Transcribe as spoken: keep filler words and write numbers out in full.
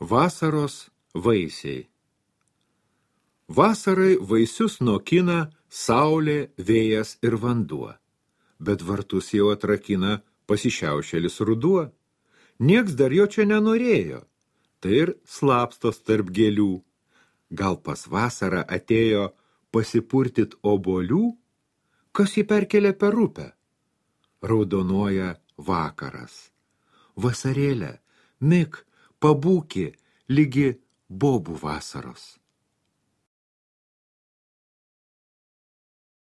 Vasaros vaisiai. Vasarai vaisius nokina saulė, vėjas ir vanduo, bet vartus jau atrakina pasišiaušėlis ruduo. Nieks dar jo čia nenorėjo, tai ir slapstos tarp gėlių. Gal pas vasarą atėjo pasipurtyt obuolių? Kas jį perkelia per upę? Raudonuoja vakaras. Vasarėlė, mik, pabūki, lygi bobų vasaros.